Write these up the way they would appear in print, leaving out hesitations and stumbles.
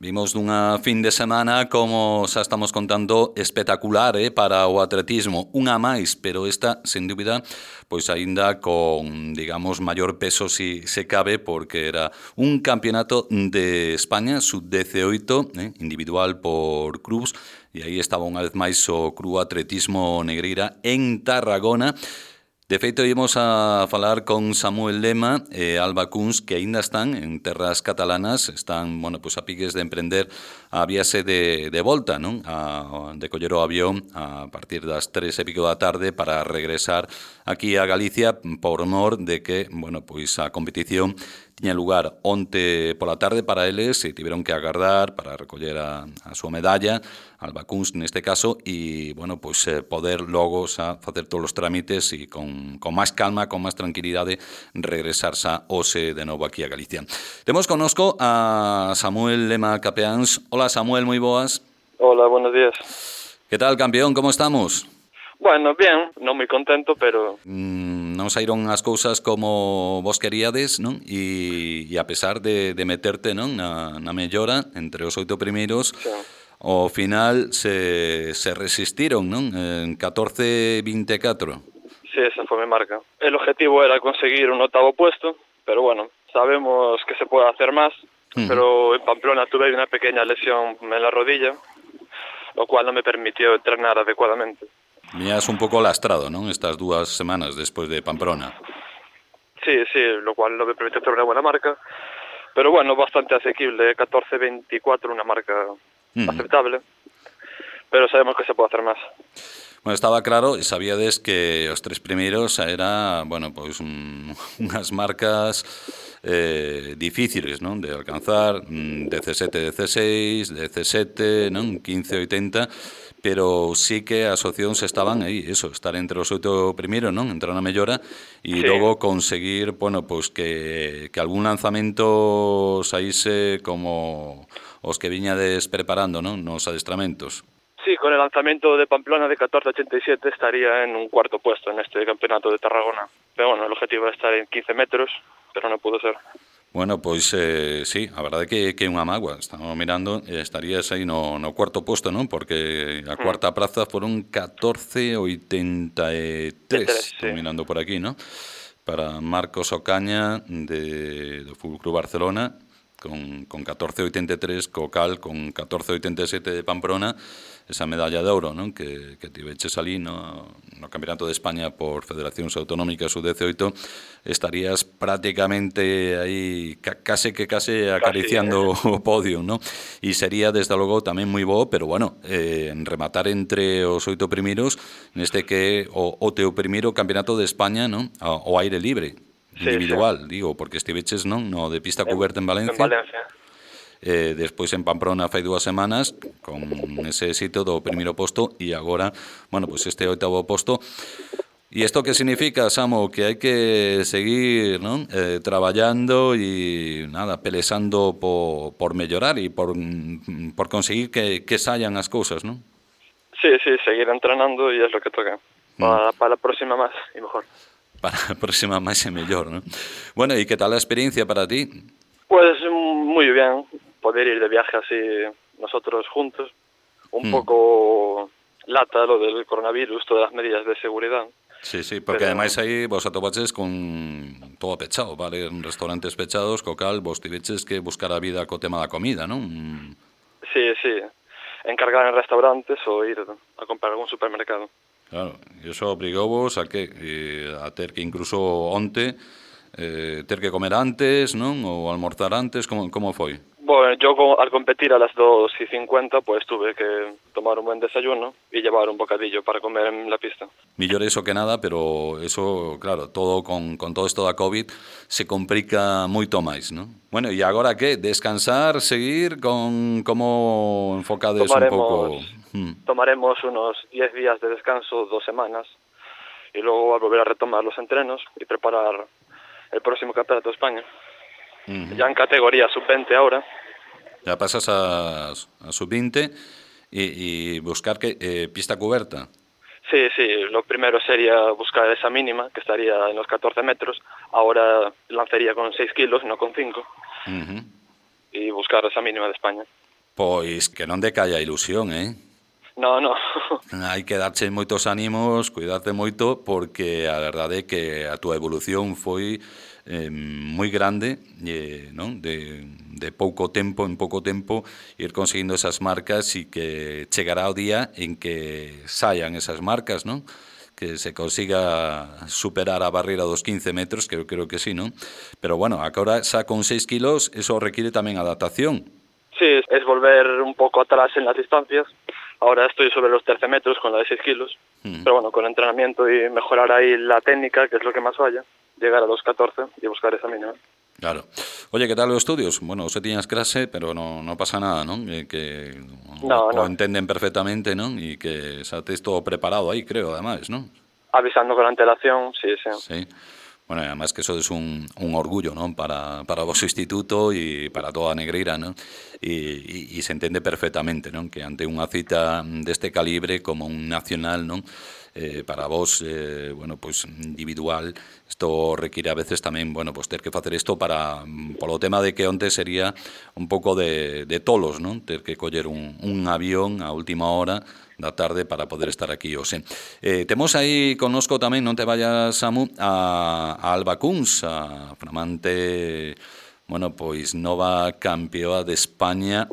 Vimos dunha fin de semana, como xa estamos contando, espectacular para o atletismo. Unha máis, pero esta, sen dúbida, pois aínda con, digamos, maior peso si se cabe, porque era un campeonato de España, sub-18, individual por clubs, e aí estaba unha vez máis o Club Atletismo Negreira en Tarragona. De feito, íbamos a falar con Samuel Lema e Alba Kunz, que aínda están en terras catalanas, están, pues a piques de emprender a viaxe de volta, non? De coller o avión a partir das 3:00 da tarde para regresar aquí a Galicia por mor de que, pois a competición tiña lugar onte pola tarde para eles e tiveron que agardar para recoller a súa medalla, Alba Kunz neste caso, e, pois poder logo xa facer todos os trámites e con máis calma, con máis tranquilidade, regresar xa hoxe de novo aquí a Galicia. Temos connosco a Samuel Lema Capeáns. Hola, Samuel, moi boas. Hola, buenos días. Que tal, campeón? Como estamos? Bueno, bien, non moi contento, pero... Non saíron as cousas como vos queríades, non? E a pesar de meterte, non, na mellora entre os 8 primeiros, Sí. ao final se resistiron, non? En 14:24. Sí, esa foi mi marca. El objetivo era conseguir un 8º puesto, pero bueno, sabemos que se puede hacer más, pero en Pamplona tuve una pequeña lesión en la rodilla, lo cual no me permitió entrenar adecuadamente. Viñas un pouco lastrado, non? Estas 2 semanas despois de Pamplona. Sí, lo cual no me permitió hacer una buena marca, pero bueno, bastante asequible, 14:24, una marca aceptable, pero sabemos que se puede hacer más. Bueno, estaba claro e sabíades que os 3 primeiros era, pois unhas marcas difíciles, non? De alcanzar, 17-16, 17, non? 15-80, pero sí que as opcións estaban aí, eso, estar entre os 8 primeiros, non? Entrar na mellora e logo conseguir, pois que algún lanzamento saíse como os que viñades preparando, non? Nos adestramentos. Sí, con el lanzamiento de Pamplona de 14:87 estaría en un 4º puesto en este campeonato de Tarragona. Pero bueno, el objetivo era estar en 15 metros, pero no pudo ser. Bueno, pois sí, a verdade que é unha mágoa. Estamos mirando, estarías aí no 4º posto, non? Porque a cuarta praza foron 14:83. Estou mirando por aquí, non? Para Marcos Ocaña do Fútbol Club Barcelona con 14:83, Cocal con 14:87 de Pamplona, esa medalla de ouro, non? Que tiveches ali no Campeonato de España por Federacións Autonómicas sub-18, estarías prácticamente aí case acariciando o podio, non? E sería, desde logo, tamén moi bo, pero rematar entre os 8 primeiros neste que o teu primeiro Campeonato de España, non? Ao aire libre, individual, digo, porque estiveches, non? No de pista cuberta en Valencia. En Valencia. Despois en Pamplona fai 2 semanas con ese éxito do primeiro posto e agora, pois este 8º posto. E isto que significa, Samo? Que hai que seguir, non? Traballando e pelexando por mellorar e por conseguir que saian as cousas, non? Sí, seguir entrenando y es lo que toca. Para la próxima más y mejor. Para a próxima máis e mellor, non? Bueno, e que tal a experiencia para ti? Pues muy bien, poder ir de viaje así nosotros juntos. Un poco lata lo del coronavirus, todas las medidas de seguridad. Sí, porque ademais aí vos atopaches con todo pechado, vale? Restaurantes pechados, cocal, vos tiveches que buscar a vida co tema da comida, non? Sí, encargar en restaurantes ou ir a comprar algún supermercado. Claro, e iso obrigouvos a que a ter que incluso onte ter que comer antes, non? Ou almorzar antes, como foi? Bueno, yo al competir a las 2:50 pues tuve que tomar un buen desayuno y llevar un bocadillo para comer en la pista. Millor eso que nada, pero eso, claro, todo con todo isto da COVID se complica moito máis, non? Bueno, e agora que? Descansar, seguir, como enfocades un pouco? Tomaremos unos 10 días de descanso, 2 semanas, y luego a volver a retomar los entrenos y preparar el próximo Campeonato de España. Ya en categoría sub-20 ahora. Ya pasas a sub-20 y buscar pista cubierta. Sí, lo primero sería buscar esa mínima, que estaría en los 14 metros. Ahora lanzaría con 6 kilos, no con 5. Y buscar esa mínima de España. Pois que non decaia a ilusión, No. Hai que darche moitos ánimos, cuidarte moito, porque a verdade é que a túa evolución foi moi grande, non? De pouco tempo, en pouco tempo, ir conseguindo esas marcas e que chegará o día en que saian esas marcas, non? Que se consiga superar a barreira dos 15 metros, que eu creo que sí, non? Pero bueno, agora xa con 6 kilos, eso requiere tamén adaptación. Sí, es volver un poco atrás en las distancias. Ahora estoy sobre los 13 metros con la de 6 kilos. Pero bueno, con entrenamiento y mejorar ahí la técnica, que es lo que más falla, llegar a los 14 y buscar esa mínima. Claro. Oye, que tal os estudios? Bueno, se tiñas clase, pero no pasa nada, non? Que o entenden perfectamente, non? E que xa tes todo preparado aí, creo, ademais, non? Avisando con antelación, sí. Sí. Bueno, además que eso es un orgullo, ¿no? Para o vosso instituto e para toda a Negreira, ¿no? E se entende perfectamente, ¿no? Que ante unha cita deste calibre como un nacional, ¿no? Para vos, bueno, pues individual, isto require a veces tamén, bueno, pues ter que facer isto para polo tema de que onte sería un pouco de tolos, ¿no? Ter que coller un avión a última hora da tarde para poder estar aquí hoxe. Temos aí connosco tamén, non te vayas, Samu, a Alba Kunz, a flamante, bueno, pois nova campeoa de España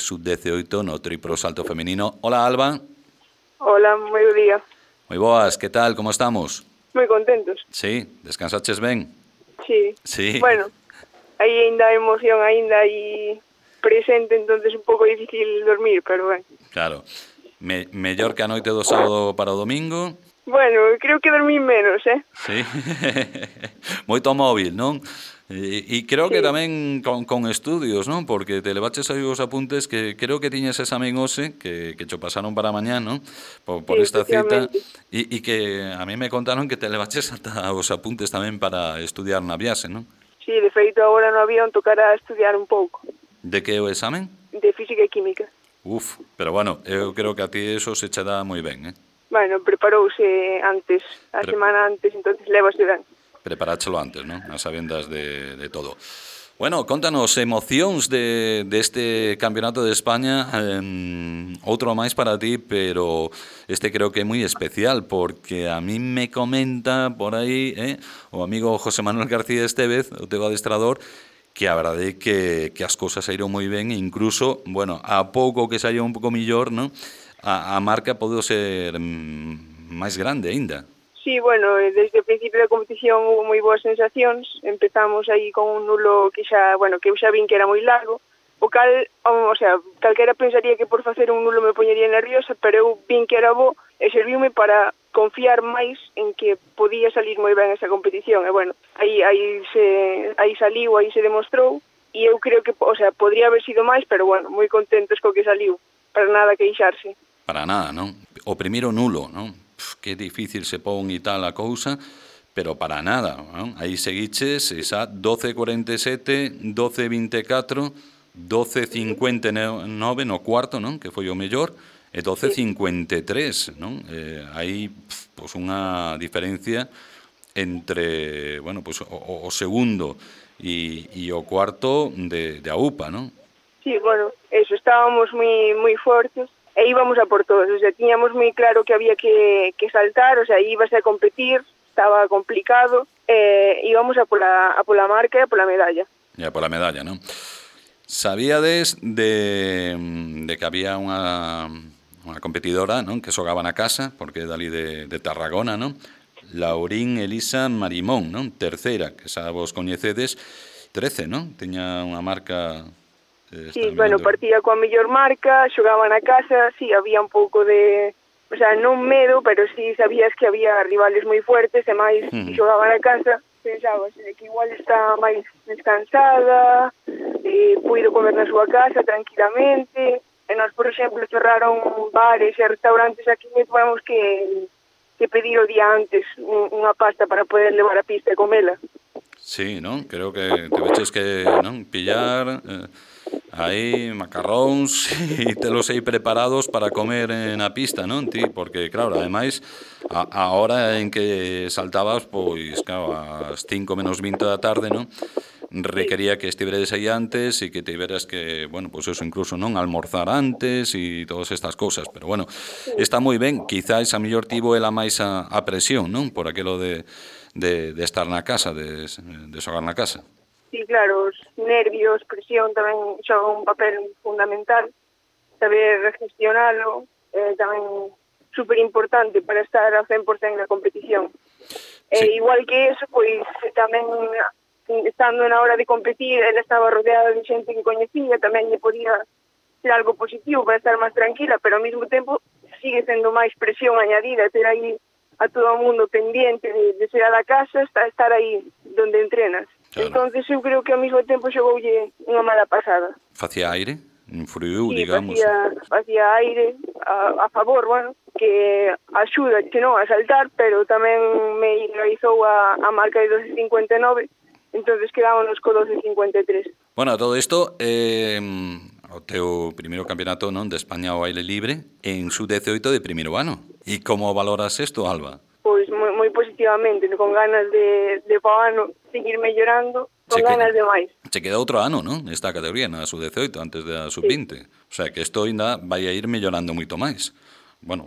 sub-18 no triplo salto femenino. Hola, Alba. Hola, moi bo día. Moi boas, que tal, como estamos? Moi contentos. Sí, descansaches ben? Sí. Bueno, aí ainda a emoción ainda aí presente, entonces un pouco difícil dormir, pero ben. Claro. Mellor que a noite do sábado para o domingo? Bueno, creo que dormí menos, Sí. Moito móvil, non? E creo que tamén con estudios, non? Porque te levaches aí os apuntes que creo que tiñes examen hoxe, que cho pasaron para mañá, non? Por esta cita. E que a mí me contaron que te levaches ata os apuntes tamén para estudiar na viaxe, non? Sí, de feito agora no avión tocará estudiar un pouco. De que é o examen? De física e química. Uf, pero bueno, eu creo que a ti eso se che dá moi ben, Bueno, preparouse antes, a semana antes, entonces levase ben. Preparáchelo antes, non? As sabendas de todo. Bueno, contanos emocións deste Campeonato de España, outro máis para ti, pero este creo que é moi especial, porque a mí me comenta por aí o amigo José Manuel García Estevez, o teu adestrador, que a verdade é que as cousas saíron moi ben e incluso, bueno, a pouco que saíron un pouco millor, non? A marca pode ser máis grande aínda. Sí, bueno, desde o principio da competición hubo moi boas sensacións. Empezamos aí con un nulo que xa, bueno, que eu xa vin que era moi largo, o cal, o sea, calquera pensaría que por facer un nulo me poñería nerviosa, pero eu vin que era bo e serviume para confiar máis en que podía salir moi ben esa competición. E bueno, aí saliu, aí se demostrou, e eu creo que, o sea, podría haber sido máis, pero bueno, moi contentos co que saliu, para nada queixarse. Para nada, non? O primeiro nulo, non? Que difícil se pon e tal a cousa, pero para nada, non? Aí seguiches esa 12.47, 12.24, 12.59 no cuarto, non? Que foi o mellor, e 12.53, non? Hai pois unha diferencia entre, bueno, pois o segundo e o cuarto de AUPA, non? Sí, bueno, eso, estábamos moi fortes e íbamos a por todos, o sea, tiñamos moi claro que había que saltar, o sea, íbase a competir, estaba complicado, íbamos a pola marca e a pola medalla. E a pola medalla, non? Sabíades de que había unha competidora, non, que xogaba na casa, porque é dali de Tarragona, non? Laurín Elisa Marimón, non? Terceira, que xa vos coñecedes, 13, non? Tiña unha marca... Sí, bueno, partía coa mellor marca, xogaba na casa, sí, había un pouco de... O sea, non medo, pero sí sabías que había rivales moi fuertes, e máis, se xogaba na casa, pensabas que igual está máis descansada, puido comer na súa casa tranquilamente, e nós, por exemplo, cerraron bares e restaurantes aquí, e tuvemos que pedir o día antes unha pasta para poder levar a pista e comela. Sí, non? Creo que te veches que, non, pillar... aí macarróns e telos aí preparados para comer na pista, non, ti? Porque, claro, ademais, a hora en que saltabas, pois, claro, ás 5 menos 20 da tarde, non? requería que estiveres aí antes e que tiveras que, bueno, pues eso, incluso non almorzar antes e todas estas cousas, pero bueno, está moi ben, quizás a mellor tivo ela máis a presión, non? Por aquilo de estar na casa, de xogar na casa. Sí, claro, os nervios, presión tamén xogan un papel fundamental, saber gestionalo, tamén super importante para estar ao 100% na competición. Sí. Igual que eso, pois tamén estando na hora de competir, ela estaba rodeada de xente que coñecía, tamén lle podía ser algo positivo para estar máis tranquila, pero ao mesmo tempo sigue sendo máis presión añadida, ter aí a todo o mundo pendiente de ser a da casa, estar aí donde entrenas. Claro. Entonces eu creo que ao mesmo tempo xogoulle unha mala pasada. Facía aire? Influiu, Sí, digamos. facía aire a favor, bueno, que axuda que non a saltar, pero tamén me realizou a marca de 12.59, entonces quedámonos co 12.53. Bueno, todo isto o teu primeiro campeonato, non, de España ao aire libre en sub-18 de primeiro ano. E como valoras isto, Alba? Pois moi positivamente, con ganas de po ano seguir mellorando, con ganas de máis. Se queda outro ano, non? Esta categoría na sub-18 antes da sub-20. Sí. O sea, que isto ainda vai a ir mellorando moito máis. Bueno,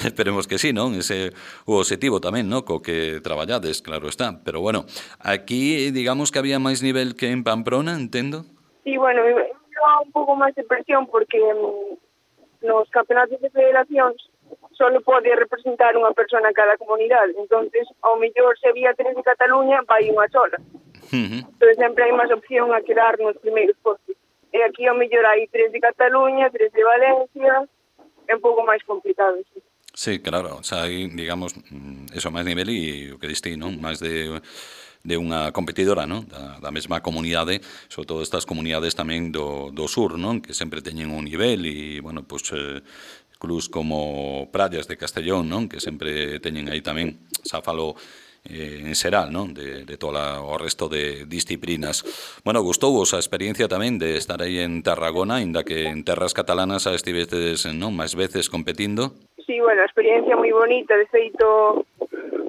esperemos que sí, non? Ese o objetivo tamén, non? Co que traballades, claro está. Pero bueno, aquí digamos que había máis nivel que en Pamplona, entendo? Sí, bueno, un pouco máis de presión porque nos campeonatos de federacións solo pode representar unha persona a cada comunidade. Entonces, ao mellor se había 3 de Cataluña, vai unha sola. Entonces sempre hai máis opción a quedar nos primeiros postos. E aquí ao mellor hai 3 de Cataluña, 3 de Valencia, é un pouco máis complicado, sí. Sí, claro, o sea, hai, digamos, eso máis nivel e o que diste, non? Máis de unha competidora, non? Da mesma comunidade, sobre todo estas comunidades tamén do sur, non? Que sempre teñen un nivel e, bueno, pues clubs como Prallas de Castellón, non? Que sempre teñen aí tamén, xa falo en xeral, non? De todo o resto de disciplinas. Bueno, gustouvos a experiencia tamén de estar aí en Tarragona, ainda que en terras catalanas xa estivedes, non? Máis veces competindo. Sí, bueno, a experiencia moi bonita, de feito,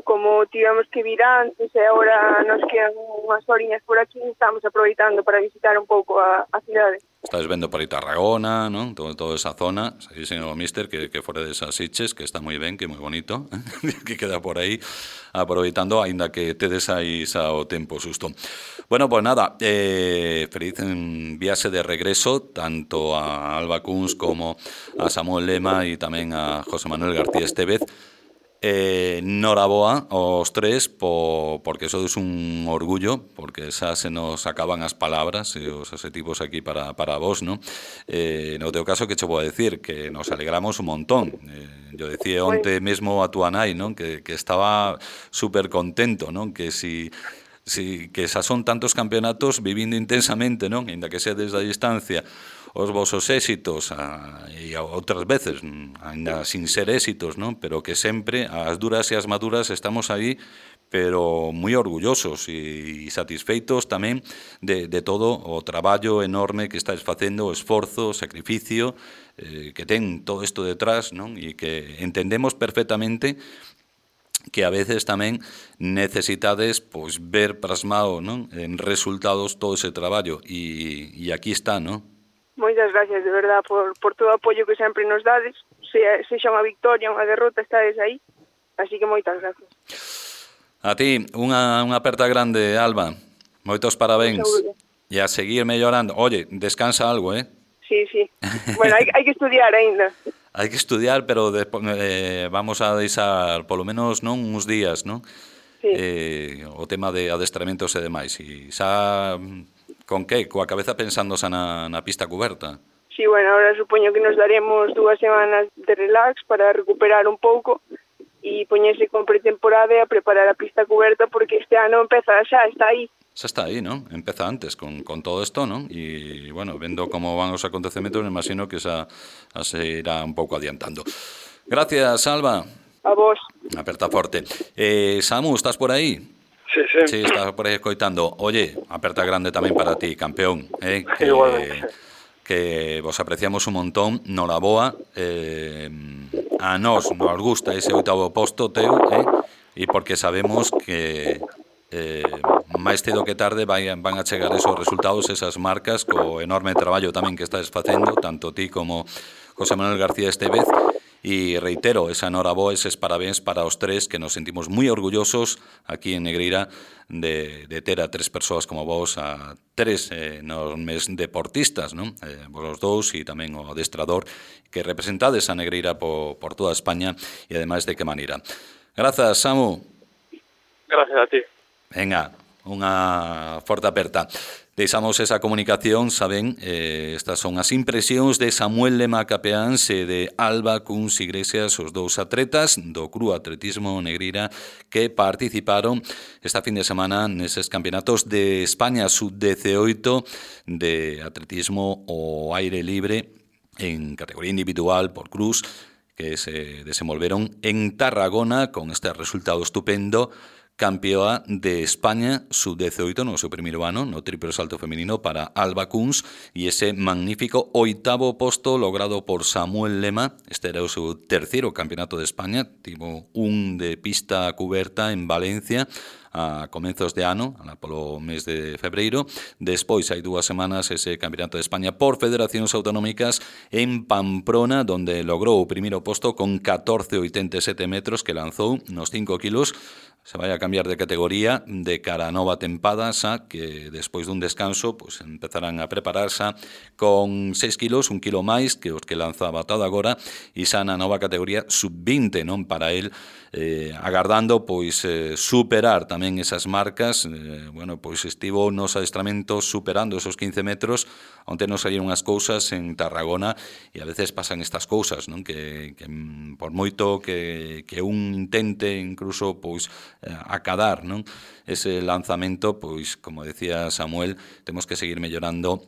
como tivemos que vir antes e agora nos quedan unhas horiñas por aquí, estamos aproveitando para visitar un pouco a cidade. Estás vendo por aí Tarragona, non? Toda esa zona, dixen o míster que fora desas Sitges, que está moi ben, que moi bonito, que queda por aí aproveitando, aínda que tedes aí xa o tempo susto. Bueno, pues nada, feliz viaxe de regreso, tanto a Alba Kunz como a Samuel Lema e tamén a José Manuel García Estevez. Noraboa aos tres porque sodes un orgullo, porque xa se nos acaban as palabras e os adxetivos aquí para vos, ¿no? No teu caso, que che vou a decir que nos alegramos un montón. Yo decía onte mesmo a túa nai, ¿no? Que estaba super contento, ¿no? Que que xa son tantos campeonatos vivindo intensamente, non? Ainda que sea desde a distancia os vosos éxitos e outras veces ainda sin ser éxitos, non? Pero que sempre as duras e as maduras estamos aí, pero moi orgullosos e satisfeitos tamén de todo o traballo enorme que estáis facendo, o esforzo, o sacrificio que ten todo isto detrás, non? E que entendemos perfectamente que a veces tamén necesitades pois ver plasmado, non? En resultados todo ese traballo e aquí está, non? Moitas gracias, de verdad, por todo o apoio que sempre nos dades, sexa unha victoria, unha derrota, estades aí, así que moitas gracias. A ti, unha aperta grande, Alba, moitos parabéns, e a seguir mellorando. Oye, descansa algo, Sí, bueno, hai que estudiar aínda. Hai que estudiar, pero despois, vamos a deixar polo menos non uns días, non? Sí. O tema de adestramentos e demais, e xa... Con que? Coa cabeza pensando xa na pista cuberta? Sí, bueno, ahora supoño que nos daremos 2 semanas de relax para recuperar un pouco e poñerse con pretemporada e a preparar a pista cuberta porque este ano empeza xa, está aí. Xa está aí, non? Empeza antes con todo isto, non? E, bueno, vendo como van os acontecementos, me imagino que xa se irá un pouco adiantando. Gracias, Alba. A vos. Aperta forte. Samu, estás por aí? Sí, estás por aí escoitando. Oye, aperta grande tamén para ti, campeón. Que vos apreciamos un montón. Noraboa. A nos gusta ese 8º posto teu, e porque sabemos que máis cedo que tarde van a chegar esos resultados, esas marcas, co enorme traballo tamén que estás facendo, tanto ti como José Manuel García Estévez. E reitero, esa noraboa, eses parabéns para os tres, que nos sentimos moi orgullosos aquí en Negreira de ter a tres persoas como vos, a tres enormes deportistas, non? Vos os dous e tamén o adestrador, que representades a Negreira por toda España, e ademais de que maneira. Grazas, Samu. Gracias a ti. Venga, unha forte aperta. Deixamos esa comunicación, saben, estas son as impresións de Samuel Lema Capeáns e de Alba Cuns Iglesias, os dous atletas do Club Atletismo Negreira que participaron esta fin de semana neses campeonatos de España sub-18 de atletismo ao aire libre en categoría individual por cruz, que se desenvolveron en Tarragona con este resultado estupendo. Campeoa de España sub-18 no seu primeiro ano no triplo salto femenino para Alba Cuns, e ese magnífico 8º posto logrado por Samuel Lema. Este era o seu terceiro campeonato de España, tivo un de pista cuberta en Valencia a comenzos de ano, polo mes de febreiro. Despois, hai 2 semanas, ese campeonato de España por federacións autonómicas en Pamplona, donde logrou o primeiro posto con 14,87 metros que lanzou nos 5 kilos. Se vai a cambiar de categoría de cara a nova tempada, xa que despois dun descanso pues, empezarán a prepararse con 6 kilos, 1 kilo máis que os que lanzaba todo agora, e xa na nova categoría sub-20, non? Para el, agardando pois superar tamén esas marcas. Bueno, pois estivo nos adestramentos superando esos 15 metros, onde nos saíron as cousas en Tarragona, e a veces pasan estas cousas, non? Que por moito que un intente incluso pois acadar, non? Ese lanzamento, pois, como decía Samuel, temos que seguir mellorando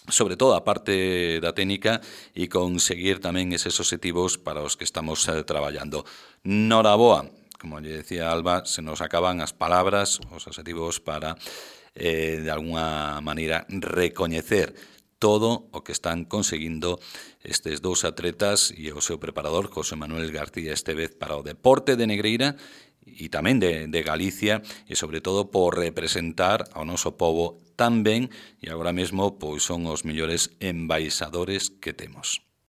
sobre todo a parte da técnica e conseguir tamén eses obxectivos para os que estamos traballando. Noraboa, como lle decía Alba, se nos acaban as palabras, os obxectivos para, de alguna maneira, recoñecer todo o que están conseguindo estes dous atletas e o seu preparador, José Manuel García Estévez, para o deporte de Negreira e tamén de Galicia, e sobre todo por representar ao noso povo tan ben, e agora mesmo pois son os mellores embaixadores que temos.